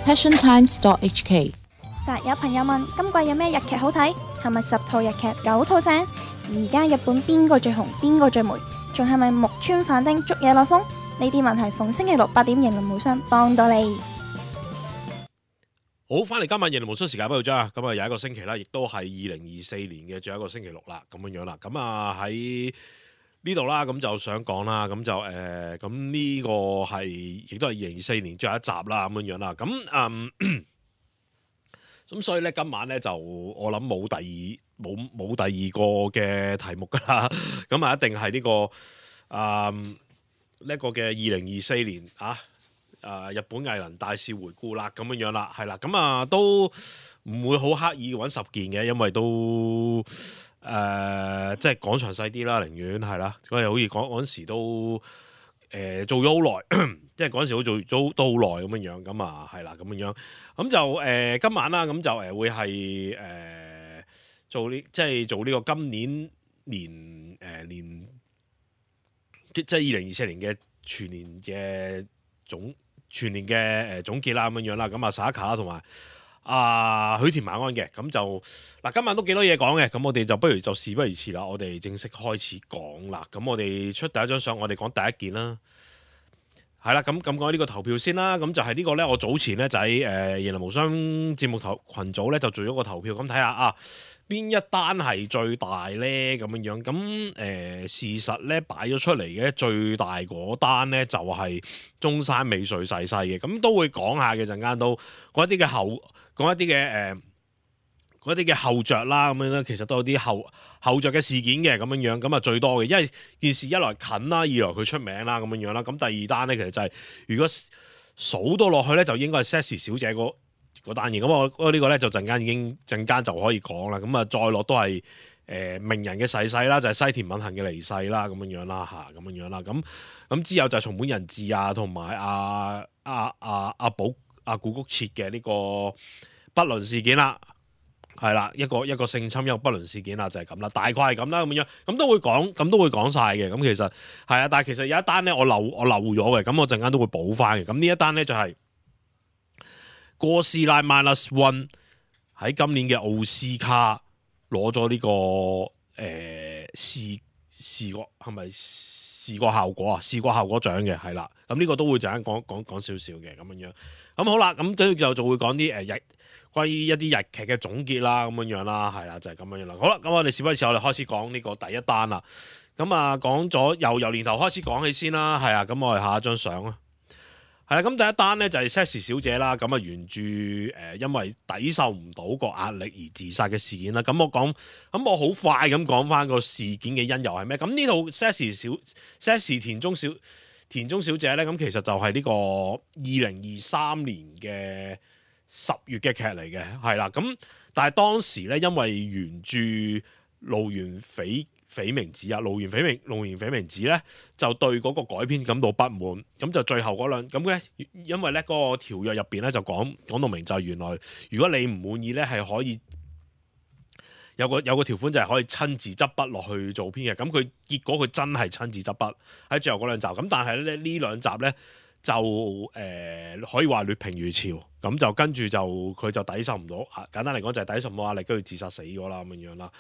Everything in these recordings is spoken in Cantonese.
passiontimes.hk。實有朋友問今季有咩日劇好睇？係咪10套日劇9套正？而家日本邊個最紅？邊個最霉？仲係咪木村反町捉嘢落風？呢啲問題逢星期六8點，型林無雙幫到你。好，翻嚟今晚型林無雙時間不到咗，咁啊有一個星期啦，亦都係2024年嘅最後一個星期六啦，咁樣樣啦。咁啊喺呢度啦，咁就想講啦，咁就咁呢個係亦都係2024年最後一集啦，咁樣樣啦。咁所以咧，今晚咧就我諗冇第二個嘅題目噶啦，咁啊一定係呢個嘅2024年日本藝能大事回顧啦，咁樣樣啦，係啦，咁啊都唔會好刻意揾10件嘅，因為都即係講詳細啲啦，寧願係啦，因為好似嗰陣時都做咗好耐，即係嗰陣時都好耐咁樣樣，咁啊係啦，咁樣樣，咁就今晚啦，咁就會係做呢個今年即係2024年嘅全年嘅總結啦，咁樣樣啦，咁啊沙卡啦同埋許田晚安嘅，咁就嗱今晚都幾多嘢講嘅，咁我哋就不如就事不宜遲啦，我哋正式開始講啦。咁我哋出第一張相，我哋講第一件啦，係啦，咁講呢個投票先啦。咁就係呢個咧，我早前咧就喺型林無雙節目群組咧就做咗個投票，咁睇下邊一單係最大咧，咁樣樣。咁事實咧擺咗出嚟嘅最大嗰單咧就係中山美穗逝世嘅，咁都會講下嘅，陣間都講一啲嘅後着啦，咁樣咧其實都有啲後着嘅事件嘅，咁樣樣，咁啊最多嘅，因為件事一來近啦，二來佢出名啦，咁樣樣啦。咁第二單咧其實就係如果數到落去咧，就應該係 Sassy 小姐嗰單嘢。咁我呢個咧就陣間就可以講啦。咁啊再落都係名人嘅逝世啦，就係西田敏行嘅離世啦，咁樣樣啦嚇，咁樣樣啦。咁之後就係松本人志同埋古谷徹嘅呢個不倫事件啦。係啦，一個性侵，一個不倫事件啦，就係咁啦，大概係咁啦，咁樣，咁都會講晒嘅。咁其實係啊，但係其實有一單咧，我漏咗嘅，咁我陣間都會補翻嘅。咁呢一單咧就係哥斯拉 Minus One 喺今年嘅奧斯卡攞咗呢個視覺係咪視覺效果獎嘅，係啦。咁呢個都會陣間講少少嘅，咁樣樣。咁好啦，咁就會講啲關於一啲日劇嘅總結啦，咁樣樣啦，係啦，就係咁樣樣啦。好啦，咁我哋事不宜遲，我哋開始講呢個第一單啦。咁啊，講咗由年頭開始講起先啦，係啊。咁我哋下一張相啊，係啦。咁第一單咧就係 Sassy 小姐啦。咁啊，原著因為抵受唔到個壓力而自殺嘅事件啦。咁我好快咁講翻個事件嘅因由係咩？咁呢套 Sassy 田中小姐咧，咁其實就係呢個2023年嘅10月嘅劇嚟嘅，係啦。咁但係當時咧，因為原著路原緋明子咧就對嗰個改編感到不滿，咁就最後嗰兩咁咧，因為咧嗰個條約入邊咧就講到明，就係原來如果你唔滿意咧，係可以有個條款就係可以親自執筆落去做編嘅。咁佢結果佢真係親自執筆喺最後嗰兩集，咁但係咧呢兩集咧就可以話劣評如潮，咁就跟住就佢就抵受唔到，簡單嚟講就係抵受唔到壓力，跟住自殺死咗啦，咁樣啦。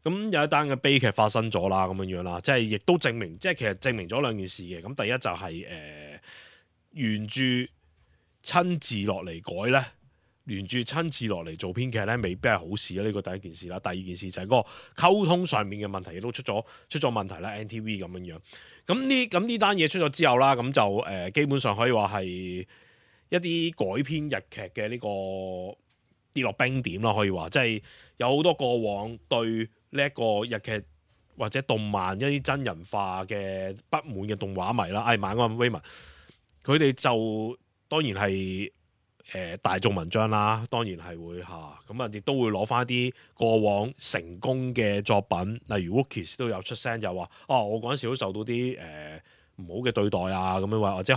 咁有一單嘅悲劇發生咗啦，咁樣啦，即係亦都證明，即係其實證明咗兩件事嘅。咁第一就係原著親自落嚟改咧，原著親自落嚟做編劇咧，未必係好事啦。呢個第一件事啦，第二件事就係嗰個溝通上面嘅問題亦都出咗問題啦。NTV 咁樣。咁呢單嘢出咗之後啦，咁就基本上可以話係一啲改編日劇嘅呢個跌落冰點啦，可以話即係有好多過往對呢一個日劇或者動漫一啲真人化嘅不滿嘅動畫迷啦，晚安 Raymond， 佢哋就當然係大眾文章啦，當然係會咁啊，亦都會攞翻啲過往成功嘅作品，例如 Wookies 都有出聲，就話我嗰陣時都受到啲唔好嘅對待啊，咁樣或者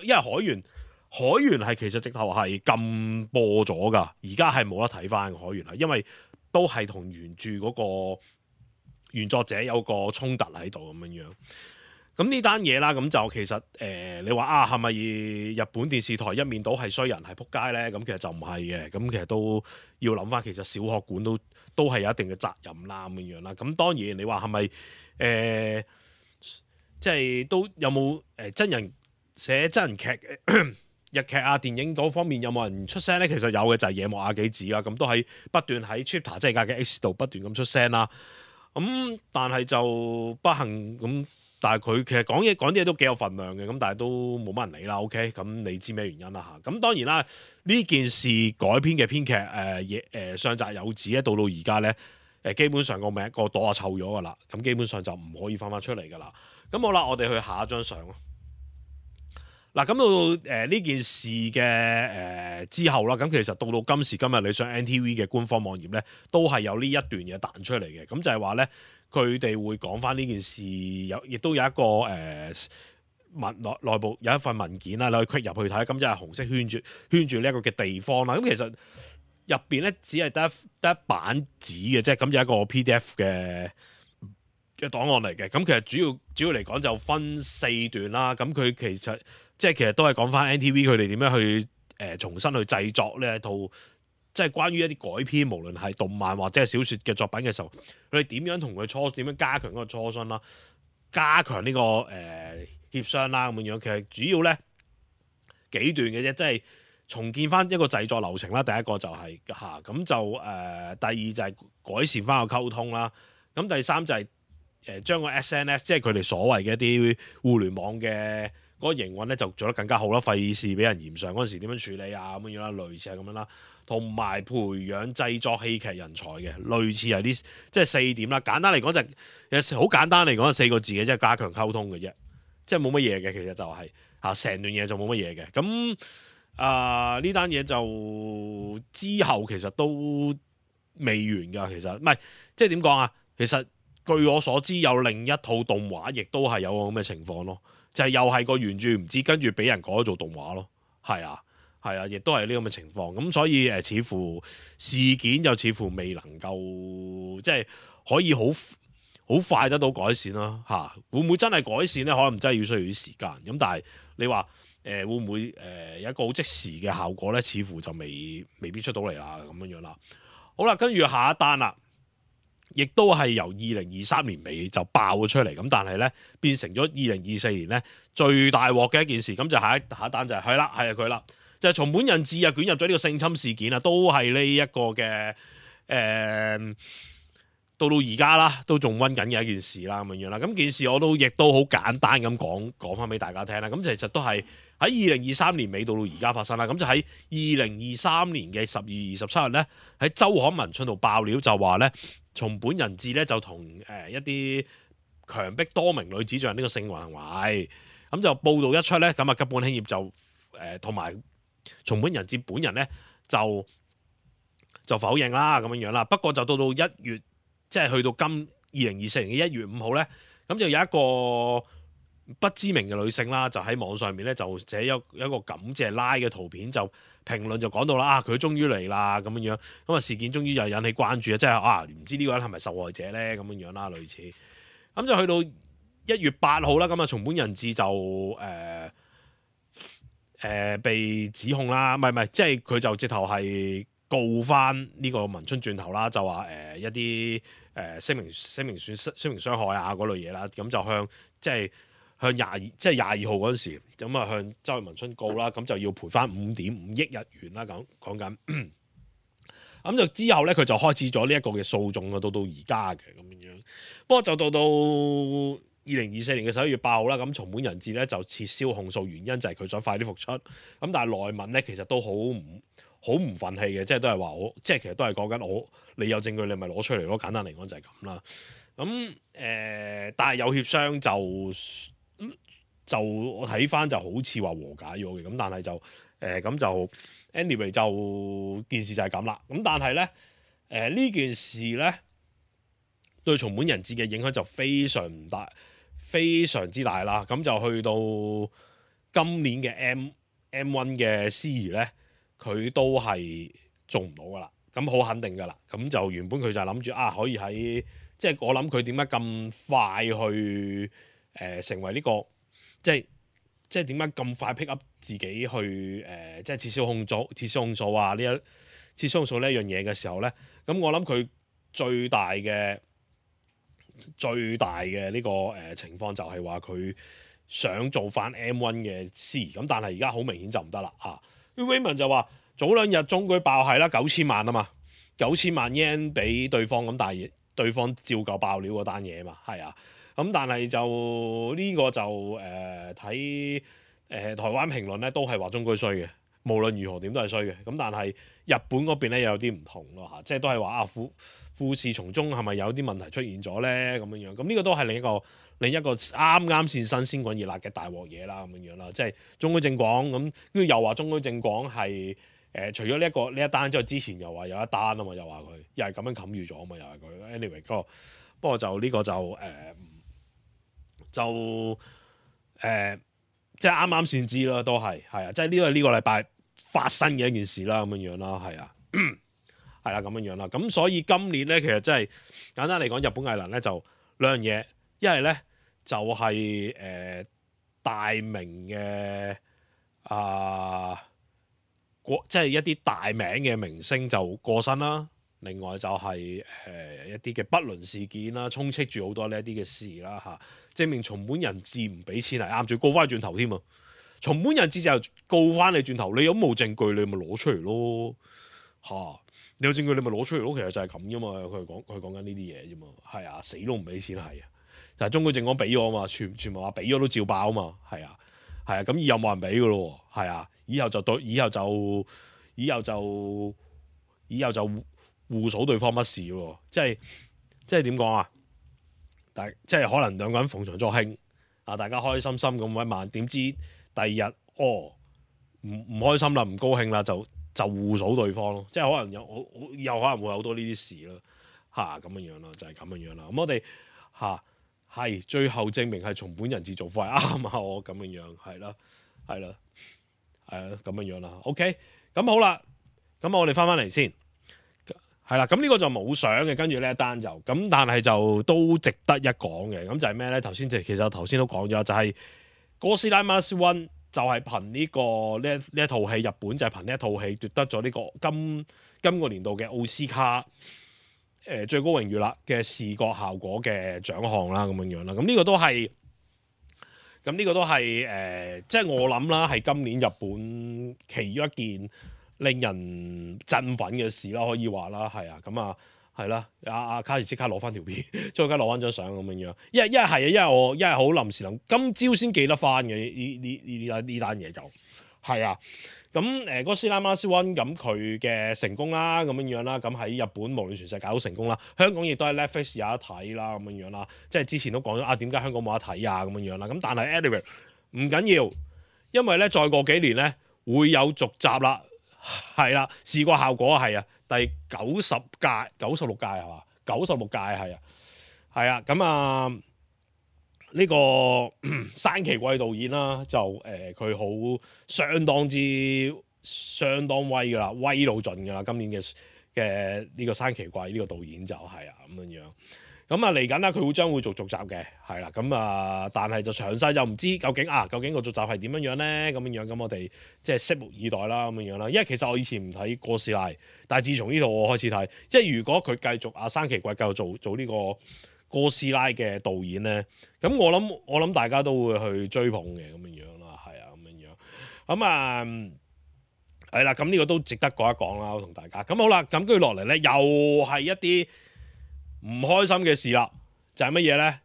因為海猿係其實直頭係禁播咗噶，而家係冇得睇翻海猿啦，因為都係同原著嗰個原作者有個衝突喺度咁樣。咁呢單嘢啦，咁就其實你話啊，係咪日本電視台一面倒係衰人係撲街咧？咁其實就唔係嘅，咁其實都要諗翻，其實小學館都係有一定嘅責任啦，咁樣啦。咁當然你話係咪即係都有冇真人寫真人劇日劇啊電影嗰方面有冇人出聲咧？其實有嘅就係野木亞紀子啦，咁都喺不斷喺 Twitter 即係嘅 X 度不斷咁出聲啦。咁但係就不幸咁。但係佢其實講啲嘢都幾有份量嘅，咁但係都冇乜人理啦。OK，咁你知咩原因啦嚇？咁當然啦，呢件事改編嘅編劇上澤有子咧，到而家咧基本上個朵啊臭咗噶啦，咁基本上就唔可以翻出嚟噶啦。咁好啦，我哋去下一張相咯。嗱，咁到呢件事嘅之後啦，咁其實到今時今日，你上 NTV 嘅官方網頁咧，都係有呢一段嘢彈出嚟嘅，咁就係話咧。佢哋會講翻呢件事，亦都有一個內部有一份文件啦，你可以 click 入去睇，咁就係紅色圈住呢一個嘅地方啦。咁其實入邊咧只係得一版紙嘅啫，咁有一個 PDF 嘅檔案嚟嘅。咁其實主要嚟講就分4段啦。咁佢其實都係講翻 NTV 佢哋點樣去重新去製作呢一套。即係關於一啲改編，無論係動漫或者係小説嘅作品嘅時候，佢哋點樣同佢點樣加強嗰個磋商啦，加強呢個協商啦咁樣。其實主要咧幾段嘅啫，即係重建翻一個製作流程啦。第一個就係咁就第二就係改善翻個溝通啦。咁第三就係將個 SNS 即係佢哋所謂嘅一啲互聯網嘅嗰個營運咧，就做得更加好啦。費事俾人嫌上嗰陣時點樣處理啊咁樣啦，類似係咁樣啦。同埋培養製作戲劇人才嘅，類似係啲即係4點啦。簡單嚟講就係好簡單嚟講係4個字嘅，即係加強溝通嘅啫，即係冇乜嘢嘅。其實就係成段嘢就冇乜嘢嘅。咁呢單嘢就之後其實都未完㗎。其實唔係即係點講啊？其實據我所知有另一套動畫，亦都係有咁嘅情況咯，就係又係個原著唔知，跟住俾人改咗做動畫咯，係啊。係啊，亦都係呢咁嘅情況，咁所以似乎事件又似乎未能夠即係可以好快得到改善啦嚇。會唔會真係改善咧？可能真係要需要啲時間。咁但係你話會唔會有一個好即時嘅效果咧？似乎就未必出到嚟啦咁樣啦。好啦，跟住下一單啦，亦都係由2023年尾就爆咗出嚟，咁但係咧變成咗2024年咧最大鑊嘅一件事。咁就下一單就係佢啦。就係松本人志啊，捲入咗呢個性侵事件啊，都係呢一個嘅到而家啦，都仲溫緊嘅一件事啦，咁樣啦。咁件事我亦都好簡單咁講翻俾大家聽啦。咁其實都係喺2023年尾到而家發生啦。咁就喺2023年嘅12月27日咧，喺周刊文春度爆料就話咧，松本人志咧就同一啲強迫多名女子進行呢個性行為。咁就報道一出咧，咁啊吉本興業就同埋松本人志本人咧就否認啦，咁樣啦。不過就到1月，即係去到今2024年嘅1月5號咧，咁就有一個不知名嘅女性啦，就喺網上面咧就寫一個感謝拉嘅圖片，就評論就講到啦，佢終於嚟啦咁樣，咁啊事件終於又引起關注啊，即係唔知呢個人係咪受害者咧咁樣啦，類似。咁就去到1月8號啦，咁啊松本人志就被指控啦，唔係，即係佢就直頭係告翻呢個文春轉頭啦，就話一啲聲明傷害啊嗰類嘢啦，咁就向向22號嗰陣時，咁啊向周文春告啦，咁就要賠翻5.5億日元啦，講緊。咁就之後咧，佢就開始咗呢一個嘅訴訟啊，到而家嘅咁樣。不過就到2024年嘅11月8號啦，咁松本人志咧就撤銷控訴，原因就係佢想快啲復出。咁但係內文咧其實都好唔憤氣嘅，即係都係話即係其實都係講緊你有證據你咪攞出嚟咯。簡單嚟講就係咁啦。咁但係有協商就我睇翻就好似話和解咗嘅，咁但係就咁就 anyway 就件事就係咁啦。咁但係咧呢件事咧對松本人志嘅影響就非常之大啦。咁就去到今年嘅 M1 嘅司儀咧，佢都係做唔到噶啦。咁好肯定噶啦。咁就原本佢就諗住可以喺即係我諗佢點解咁快去成為呢、個即係點解咁快 pick up 自己去即係撤銷控訴啊撤銷控訴呢一樣嘢嘅時候咧，咁我諗佢最大嘅呢個情況就係話佢想做翻 M1 嘅 C， 咁但係而家好明顯就唔得啦嚇。Raymond 就話早兩日中舉爆係啦，9000萬啊嘛，9000萬 yen 俾對方，咁但係對方照舊爆料嗰單嘢啊嘛，係啊，咁但係就呢、個就睇台灣評論咧都係話中舉衰嘅，無論如何點都係衰嘅，咁但係日本嗰邊咧有啲唔同咯嚇，即係都係話啊富士從中係咪有啲問題出現咗咧咁樣樣，咁呢個都係另一個啱啱先新鮮滾熱辣嘅大鑊嘢啦咁樣樣啦，即係中居正廣咁，跟住又話中居正廣係除咗呢一單之後，之前又話有一單啊嘛，又話佢又係咁樣冚住咗啊嘛，又係佢 anyway 不過就呢個就即係啱啱先知啦，都係啊，即係呢個禮拜發生嘅一件事啦咁樣樣啦，係啊。係啦，咁樣樣啦，咁所以今年咧，其實真係簡單嚟講，日本藝能咧就兩樣嘢，一係咧就係、大名嘅即係一啲大名嘅明星就過身啦，另外就係、一啲嘅不倫事件啦，充斥住好多呢一啲嘅事啦嚇，證明松本人志唔俾錢係啱，仲告翻佢轉頭添啊！松本人志就告翻你轉頭，你有冇證據你咪攞出嚟咯嚇。你有證據你咪攞出嚟咯，其實就係咁啫嘛。佢講緊呢啲嘢啫嘛，係啊，死都唔俾錢係啊。但係中居正廣俾咗啊嘛，全部話俾咗都照爆啊嘛，係啊，咁以後冇人俾噶咯，係啊，以後就互數對方乜事喎，即係點講啊？即係可能兩個人逢場作興啊，大家開開心心咁搵晚，點知第二日唔開心啦，唔高興啦就互數對方咯，即係可能有可能會有好多呢啲事咯，咁樣樣咯，就係咁樣樣啦。咁我哋係最後證明係松本人志做貨係啱啊，我咁樣樣係啦，咁樣樣啦。OK，咁好啦，咁我哋翻嚟先，係啦，咁呢個就冇相嘅，跟住呢一單就咁，但係就都值得一講嘅。咁就係咩咧？其實頭先都講咗，就係、是《哥斯拉 Minus One》。就係憑呢一套戲，日本就係憑呢一套戲奪得咗呢個今個年度嘅奧斯卡最高榮譽啦嘅視覺效果嘅獎項啦，咁樣樣啦。咁呢個都係即係我諗啦，係今年日本其中一件令人振奮嘅事啦，可以話啦，係啊，咁啊。係啦，阿卡士即刻攞翻條片，再加攞翻張相咁樣樣。一係我好臨時今朝先記得翻嘅呢單嘢就係啊。咁哥斯拉 Minus One 咁佢嘅成功啦，咁樣樣啦。咁喺日本無論全世界都成功啦，香港亦都係 Netflix 有得睇啦，咁樣樣啦。即係之前都講咗點解香港冇得睇啊咁樣樣啦。咁但係 anyway 唔緊要，因為咧再過幾年咧會有續集啦，係啦，視覺效果係啊。第96屆係嘛？96屆係啊，咁啊呢個山崎貴導演啦，就佢好相當威噶啦，威到盡噶啦，今年嘅呢個山崎貴呢個導演就係咁樣。咁啊嚟緊啦，佢將會做續集嘅，係啦，咁啊，但係就詳細就唔知究竟個續集係點樣樣咧？咁樣，咁我哋即係拭目以待啦，咁樣啦。因為其實我以前唔睇哥斯拉，但係自從呢套我開始睇，即係如果佢繼續山崎貴繼續做呢個哥斯拉嘅導演咧，咁我諗大家都會去追捧嘅，咁樣啦，係啊，咁樣。咁啊係啦，咁呢個都值得講一講啦，我同大家。咁好啦，咁跟住落嚟咧，又係一啲唔開心嘅事啦，就係乜嘢咧？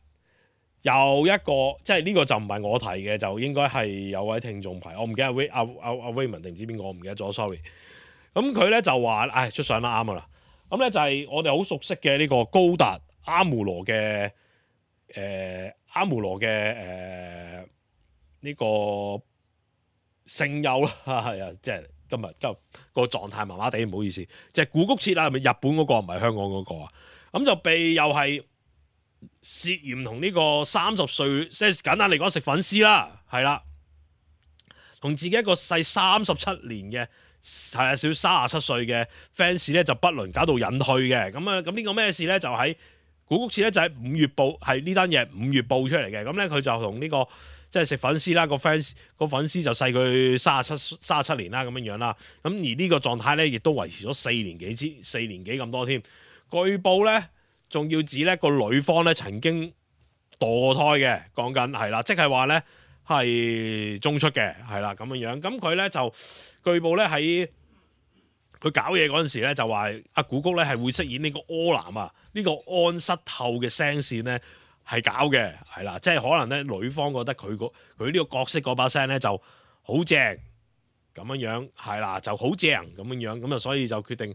又一個即係呢個就唔係我提嘅，就應該係有位聽眾排，我唔記得阿 Raymond 定唔知邊個，我唔記得咗 ，sorry。咁佢咧就話，出相啦，啱噶啦。咁咧就係我哋好熟悉嘅呢個高達阿姆羅嘅呢個聲優啦，係啊，即係今日個狀態麻麻地，唔好意思。即係古谷徹啦，係咪日本嗰個唔係香港嗰個啊？咁就被又係涉嫌同呢個30歲，即係簡單嚟講食粉絲啦，係啦，同自己一個細37年嘅少37歲嘅 fans 咧就不倫，搞到引退嘅。咁呢個咩事咧？就喺古谷徹咧就喺5月報，係呢單嘢5月報出嚟嘅。咁咧佢就同呢個即係食粉絲啦，個粉絲就細佢37年啦咁樣啦。咁而呢個狀態咧亦都維持咗4年幾咁多添。據報咧仲要指咧個女方咧曾經墮胎嘅，講緊係啦，即係話咧係中出嘅，係啦咁樣。咁佢咧就據報咧喺佢搞嘢嗰陣時咧，就話阿古谷咧係會飾演呢個柯南啊，呢個安室透嘅聲線咧係搞嘅，係啦，即係可能咧女方覺得佢呢個角色嗰把聲咧就好正咁樣，係啦，就好正咁樣，咁啊所以就決定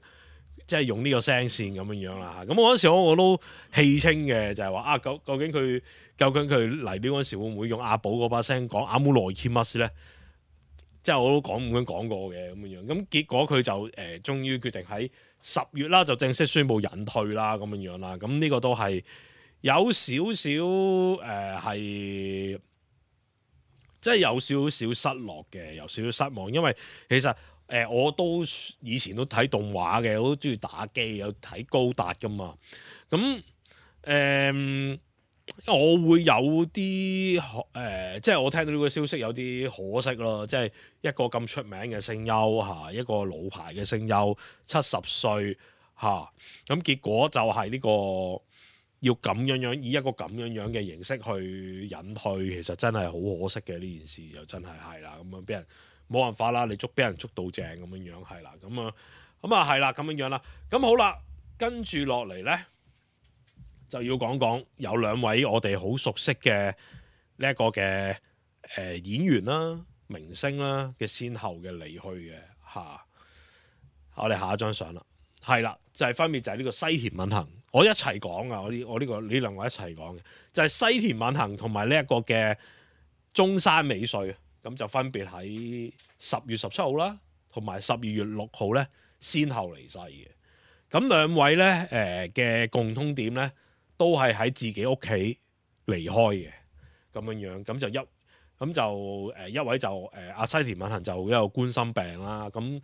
即係用呢個聲線咁樣啦。咁我嗰陣時我都戲稱嘅，就係話啊，究竟佢嚟呢嗰陣時會唔會用阿寶嗰把聲講阿姆羅基馬斯咧？即係我都咁樣講過嘅咁樣，咁結果佢就終於決定喺10月啦，就正式宣布隱退啦咁樣啦。咁呢個都係有少少係即係有少少失落嘅，有少少失望，因為其實我都以前都睇動畫嘅，我都中意打機，有睇高達噶嘛。咁我會有啲即係我聽到呢個消息有啲可惜咯，即係一個咁出名嘅聲優嚇，一個老牌嘅聲優70歲嚇，咁結果就係呢個要咁樣以一個咁樣嘅形式去隱退，其實真係好可惜嘅呢件事，又真係啦，咁樣俾人冇辦法啦，你俾人捉到正咁樣係啦，咁啊係啦咁樣啦，咁好啦，跟住落嚟咧。就要講有2位我哋好熟悉嘅呢一個嘅演員啦、明星啦嘅先後嘅離去嘅嚇。我哋下一張相啦，係啦，就係分別就係呢個西田敏行，我一齊講啊，我呢2位一齊講嘅，就係西田敏行同埋呢一個嘅中山美穗，咁就分別喺10月17號啦，同埋12月6號咧，先後離世嘅。咁2位咧嘅共通點咧，都係喺自己屋企離開嘅咁樣，咁就一位就阿西田敏行就一個冠心病啦，咁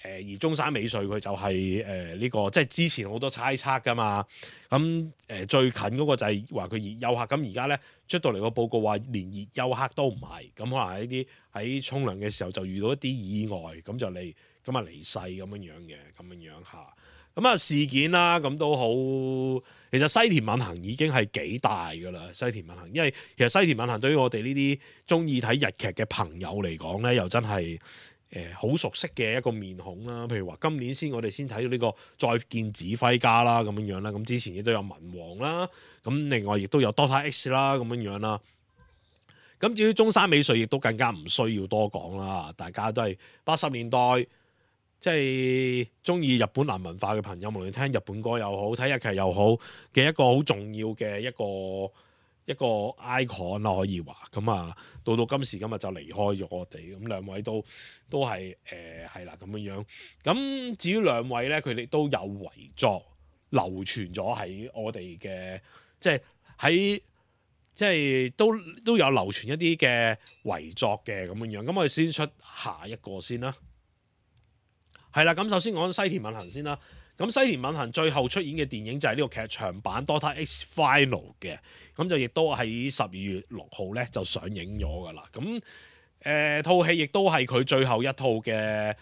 而中山美穗佢就係呢個即係之前好多猜測噶嘛，咁最近嗰個就係話佢熱休克，咁而家咧出到嚟個報告話連熱休克都唔係，咁可能喺啲喺沖涼嘅時候就遇到一啲意外，咁就離世咁樣嚇。咁啊事件啦，咁都好。其實西田敏行已經係幾大噶啦，西田敏行，因為其實西田敏行對於我哋呢啲中意睇日劇嘅朋友嚟講咧，又真係好熟悉嘅一個面孔啦。譬如話今年我哋先睇到呢個再見指揮家啦，咁樣啦。咁之前亦都有文王啦，咁另外亦都有 Doctor X 啦，咁樣啦。咁至於中山美穗，亦都更加唔需要多講啦。大家都係80年代。即係中意日本男文化嘅朋友，無論聽日本歌又好，睇日劇又好嘅一個好重要嘅一個 icon 啦，可以話咁啊。到今時今日就離開咗我哋，咁2位都係係啦咁樣。咁至於2位咧，佢哋都有遺作流傳咗喺我哋嘅，即係都有流傳一啲嘅遺作嘅咁樣。咁我哋先出下一個先啦。係啦，咁首先講西田敏行先啦。咁西田敏行最後出演嘅電影就係呢個劇場版《Doctor X Final》嘅，咁就亦都喺12月6號咧就上映咗噶啦。咁套戲亦都係佢最後一套嘅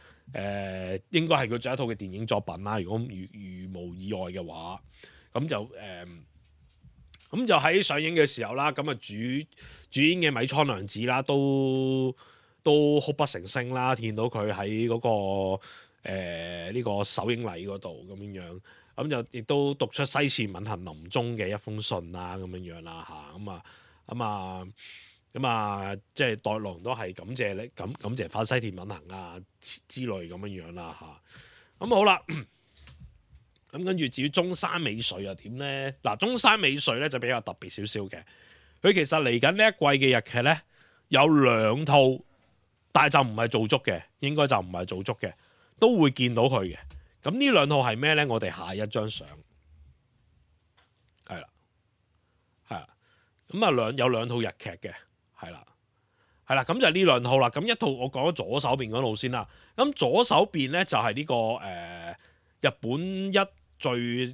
應該係佢最後一套嘅電影作品啦。如果如無意外嘅話，咁就喺上映嘅時候啦，咁啊主演嘅米倉涼子啦，都哭不成聲啦，見到佢喺嗰個。呢個首映禮嗰度咁樣，咁就亦都讀出西田敏行臨終嘅一封信啦，咁樣啦嚇，咁啊，即係代龍都係感謝你，感謝翻西田敏行啊之類咁樣啦嚇。咁好啦，咁跟住至於中山美穗又點咧？嗱，中山美穗咧就比較特別少少嘅，佢其實嚟緊呢一季嘅日劇咧有2套，但係就唔係做足嘅，應該就唔係做足嘅。都會見到佢嘅，咁呢2套係咩咧？我哋下一張相係啦，咁啊有2套日劇嘅，係啦，咁就係呢2套啦。咁一套我講咗左手邊嗰套先啦。咁左手邊咧就係呢個日本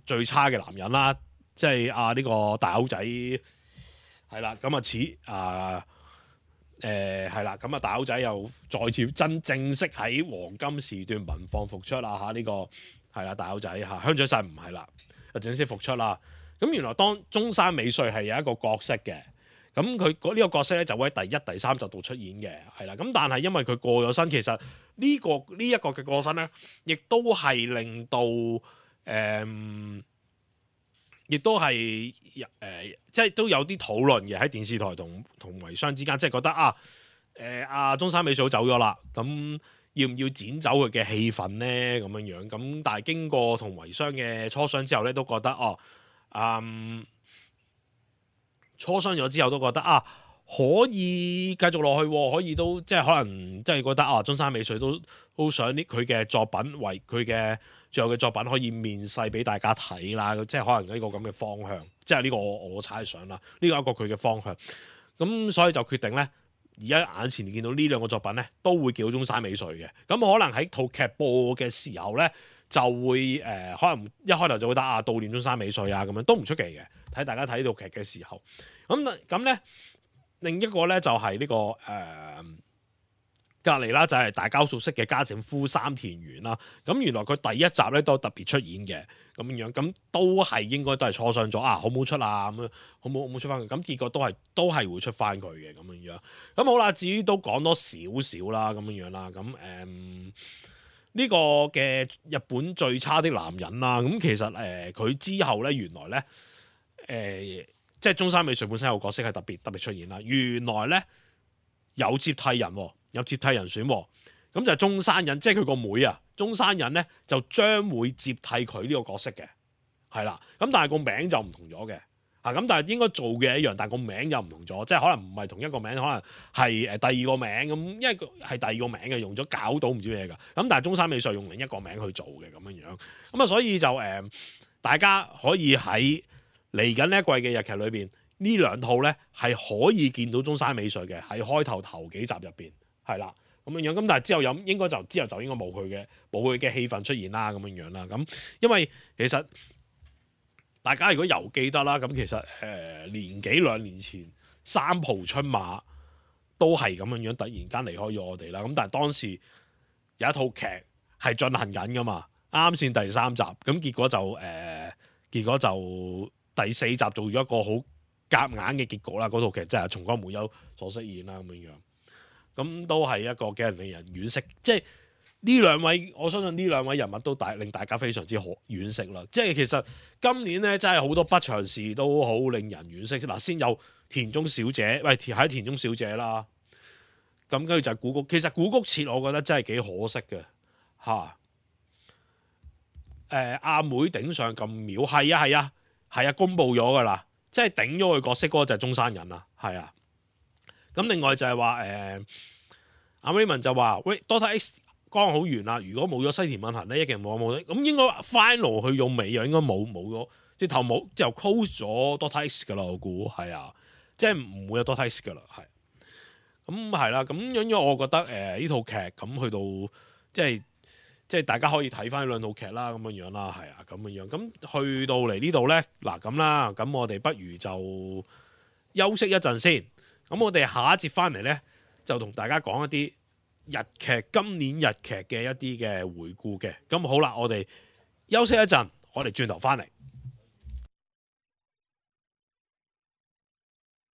最差嘅男人啦，即係呢個大口仔係啦，咁係啦，咁大口仔又再次正式喺黃金時段民放復出啦嚇，呢個係啦，大口仔嚇，香取慎唔係啦，就正式復出啦。咁原來當中山美穗係有一個角色嘅，咁佢呢個角色咧就會喺第一、第三集度出現嘅，係啦。咁但係因為佢過咗身，其實呢一個嘅過身咧，亦都係令到亦都係即係都有啲討論嘅喺電視台同遺孀之間，即係覺得中山美穗走咗啦，咁要唔要剪走佢嘅戲份咧？咁樣咁，但係經過同遺孀嘅磋商之後咧，都覺得磋商咗之後都覺得可以繼續落去，可以都即係可能即係覺得中山美穗都想佢嘅作品為佢嘅最後嘅作品可以面世俾大家睇啦，即係可能呢個咁嘅方向，即係呢個我猜想啦，呢個一個佢嘅方向。咁所以就決定咧，而家眼前見到呢兩個作品咧，都會叫中山美穗嘅。咁可能喺套劇播嘅時候咧，就會可能一開頭就會得悼念中山美穗啊，咁樣都唔出奇嘅。睇大家睇呢套劇嘅時候，咁咧另一個咧就係呢個隔離啦，就係大家熟悉嘅家政夫三田園啦。咁原來佢第一集咧都特別出演嘅咁樣，咁都應該都係磋商咗好唔好出啊，咁樣好唔好出翻佢？咁結果都係會出翻佢嘅咁樣。咁好啦，至於都講多少少啦咁樣啦。咁呢個嘅日本最差的男人啦，咁其實佢之後咧原來咧即係中山美穗本身有個角色係特別出現啦。原來咧有接替人選，咁就係中山忍，即係佢個妹啊。中山忍咧就將會接替佢呢個角色嘅，係啦。咁但係個名就唔同咗嘅，咁但係應該做嘅一樣，但係個名又唔同咗，即係可能唔係同一個名，可能係第二個名咁，因為係第二個名嘅，用咗搞到唔知咩㗎。咁但係中山美穗用另一個名去做嘅咁樣，咁所以就大家可以喺嚟緊呢一季嘅日劇裏邊，呢兩套咧係可以見到中山美穗嘅，喺開頭幾集入邊係啦咁樣。咁但係之後應該就應該冇佢嘅戲份出現啦咁樣啦。咁因為其實大家如果又記得啦，咁其實年幾兩年前三浦春馬都係咁樣突然間離開咗我哋啦。咁但係當時有一套劇係進行緊噶嘛，啱先第三集，咁結果就第四集做咗一個好夾硬嘅結局啦。嗰套劇真係松岡茉優所飾演啦咁樣，咁都係一個幾令人惋惜。即係呢兩位，我相信呢兩位人物都令大家非常之惋惜啦。即係其實今年咧真係好多不祥事都好令人惋惜。嗱，先有田中小姐，喺田中小姐啦，咁跟住就係古谷。其實古谷徹我覺得真係幾可惜嘅嚇。阿妹頂上咁秒，係啊，公佈咗噶啦，即係頂咗佢角色嗰個就係中山人啦，係啊。咁另外就係話阿 Raymond 就話喂 Doctor X 剛好完啦，如果冇咗西田敏行咧，一定冇得咁應該 final 去用尾又應該冇咗，即係頭冇就 close 咗 Doctor X 噶啦，我估係啊，即係唔會有 Doctor X 噶啦，係。咁係啦，咁樣我覺得呢套劇咁去到即係大家可以睇翻兩套劇啦，咁樣啦，係啊，咁樣。咁去到嚟呢度咧，嗱咁啦，咁我哋不如就休息一陣先。咁我哋下一節翻嚟咧，就同大家講一啲今年日劇嘅一啲嘅回顧嘅。咁好啦，我哋休息一陣，我哋轉頭翻嚟。